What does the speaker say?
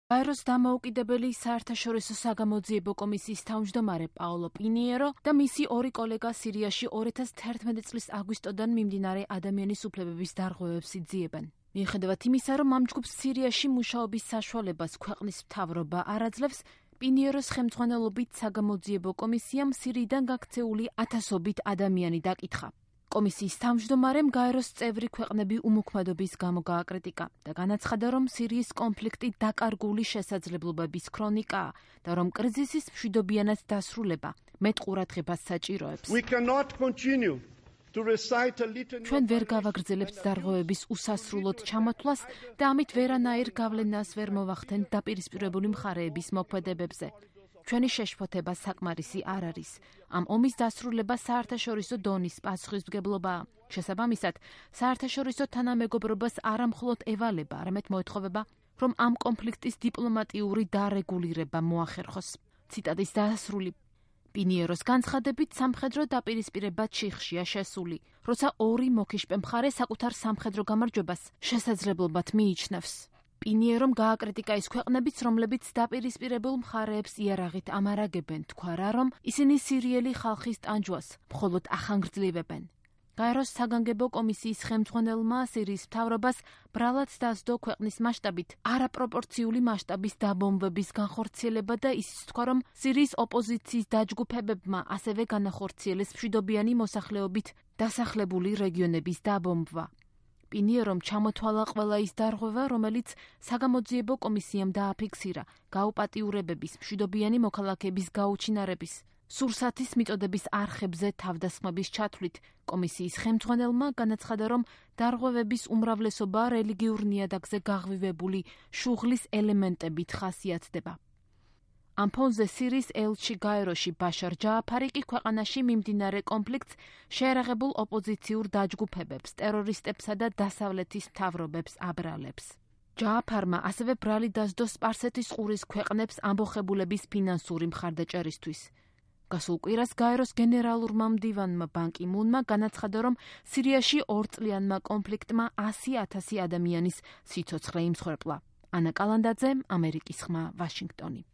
გაეროს დამოუკიდებელი საერთაშორისო საგამოძიებო კომისიის თავმჯდომარე პაოლო პინიერო და მისი ორი კოლეგა სირიაში 2011 წლის აგვისტოდან მიმდინარე ადამიანის უფლებების დარღვევებს იძიებენ. მიუხედავად იმისა, რომ ამ ჯგუფს სირიაში მუშაობის საშუალებას ქვეყნის მთავრობა არ აძლევს, პინიეროს ხელმძღვანელობით საგამოძიებო კომისიამ სირიიდან გაქცეული ათასობით ადამიანი დაკითხა. კომისიის თავმჯდომარემ გაეროს წევრი ქვეყნები უმოქმედობის გამო გააკრიტიკა და განაცხადა, რომ სირიის კონფლიქტი დაკარგული შესაძლებლობების ქრონიკაა და რომ კრიზისის მშვიდობიანად დასრულება მეტ ყურადღებას საჭიროებს. ჩვენ ვერ გავაგრძელებთ დარღვევების უსასრულოდ ჩამოთვლას და ამით ვერანაირ გავლენას ვერ მოვახდენთ დაპირისპირებული მხარეების მოქმედებებზე. ჩვენი შეშფოთება საკმარისი არ არის. ამ ომის დასრულება საერთაშორისო დონის პასუხისმგებლობაა. შესაბამისად, საერთაშორისო თანამეგობრობას არა მხოლოდ ევალება, არამედ მოეთხოვება, რომ ამ კონფლიქტის დიპლომატიური დარეგულირება მოახერხოს. ციტატის დასრული. პინიეროს განცხადებით, სამხედრო დაპირისპირება ჩიხშია შესული, როცა ორი მოკიშპე მხარე საკუთარ სამხედრო გამარჯვებას შესაძლებლობად მიიჩნევს. პინიერომ გააკრიტიკა ის ქვეყნებიც, რომლებიც დაპირისპირებულ მხარეებს იარაღით ამარაგებენ, თქვა რა, რომ ისინი სირიელი ხალხის ტანჯვას მხოლოდ ახანგრძლივებენ. გაეროს საგანგებო კომისიის ხელმძღვანელმა სირიის მთავრობას ბრალად დასდო ქვეყნის მასშტაბით არაპროპორციული მასშტაბის დაბომბვების განხორციელება და ისიც თქვა, რომ სირიის ოპოზიციის დაჯგუფებებმა ასევე განახორციელეს მშვიდობიანი მოსახლეობით დასახლებული რეგიონების დაბომბვა. პინიერომ ჩამოთვალა ყველა ის დარღვევა, რომელიც საგამოძიებო კომისიამ დააფიქსირა გაუპატიურებების, მშვიდობიანი მოქალაქეების გაუჩინარების, სურსათის მიწოდების არხებზე თავდასხმების ჩათვლით. კომისიის ხელმძღვანელმა განაცხადა, რომ დარღვევების უმრავლესობა რელიგიურ ნიადაგზე გაღვივებული შუღლის ელემენტებით ხასიათდება. ამ ფონზე სირიის ელჩი გაეროში ბაშარ ჯააფარი კი ქვეყანაში მიმდინარე კონფლიქტს შეერაღებულ ოპოზიციურ დაჯგუფებებს, ტერორისტებსა და დასავლეთის მთავრობებს აბრალებს. ჯააფარმა ასევე ბრალი დასდო სპარსეთის ყურის ქვეყნებს ამბოხებულების ფინანსური მხარდაჭერისთვის. გასულ კვირას გაეროს გენერალურმა მდივანმა ბან კი მუნმა განაცხადა, რომ სირიაში 2 წლიანმა კონფლიქტმა 100,000 ადამიანის სიცოცხლე იმსხვერპლა. ანა კალანდაძე, ამერიკის ხმა, ვაშინგტონი.